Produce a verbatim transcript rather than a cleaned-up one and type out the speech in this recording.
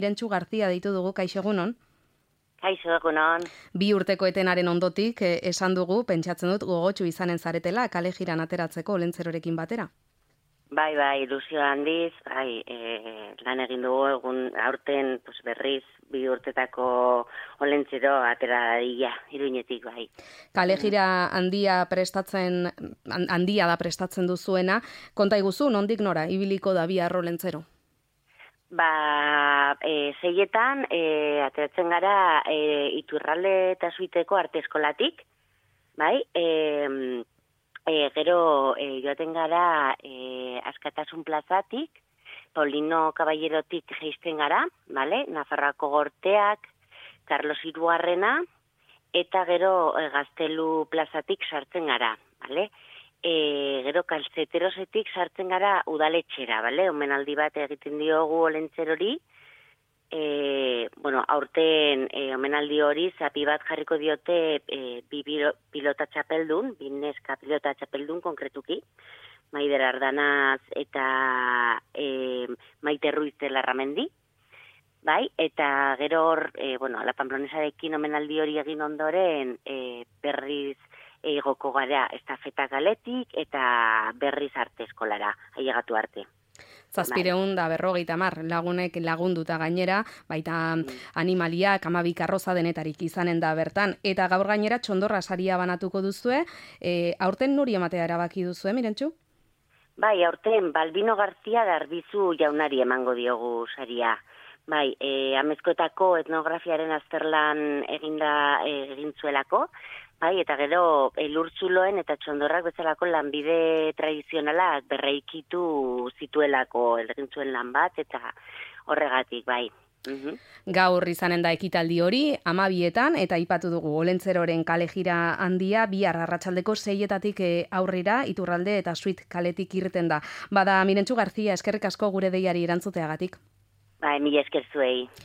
Irentxu Garzia deitu dugu, kaixo egunon. Kaixo egunon. Bi urteko etenaren ondotik eh, esan dugu, pentsatzen dut gogotsu izanen zaretela, kale jiran ateratzeko olentzerorekin batera. Bai, bai, ilusio handiz, bai, e, lan egin dugu egun aurten pues, berriz bi urtetako olentzero atera dadila, Iruñetik, bai. Kale jira handia prestatzen, handia da prestatzen duzuena, konta iguzu, nondik nora, ibiliko da bi arrolentzero? Ba, e, zeietan, e, ateratzen gara e, Iturralde eta Zuiteko arte eskolatik, bai, e, e, gero e, joaten gara e, Askatasun plazatik, Paulino Caballerotik geisten gara, bale, Nafarroako Gorteak, Carlos Hirugarrena, eta gero e, Gaztelu plazatik sartzen gara, bale, E, gero kalzeterosetik sartzen gara udaletxera, bale? Omenaldi bat egiten diogu olentzerori. E, bueno, aurten e, omenaldi hori zapi bat jarriko diote e, bi pilota txapeldun, bi neska pilota txapeldun konkretuki, Maider Ardanaz eta e, Maite Ruiz de Larramendi. Bai, eta gero hor, e, bueno, la Pamplonesarekin omenaldi hori egin ondoren e, berriz egoko gara estafeta galetik eta berriz arte eskolara, ailegatu arte. Zazpireun da berrogeita mar lagunek lagunduta gainera, baita mm. animaliak amabi karroza denetarik izanen da bertan, eta gaur gainera txondorra saria banatuko duzue, e, aurten nuri ematea erabaki duzue, Mirentxu? Bai, aurten Balbino Garzia Darbizu jaunari emango diogu saria. Bai, e, Amezkoetako etnografiaren azterlan eginda egin zuelako, bai, eta gero elurtzuloen eta txondorrak bezalako lanbide tradizionalak berreikitu zituelako egin zuen lan bat, eta horregatik, bai. Uhum. Gaur izanen da ekitaldi hori, amabietan, eta aipatu dugu olentzeroren kale jira handia, bihar arratsaldeko seietatik aurrera, Iturralde eta Zuit kaletik irten da. Bada, Mirentxu Garzia, eskerrik asko gure deiari erantzuteagatik. Bai, mila esker zuei.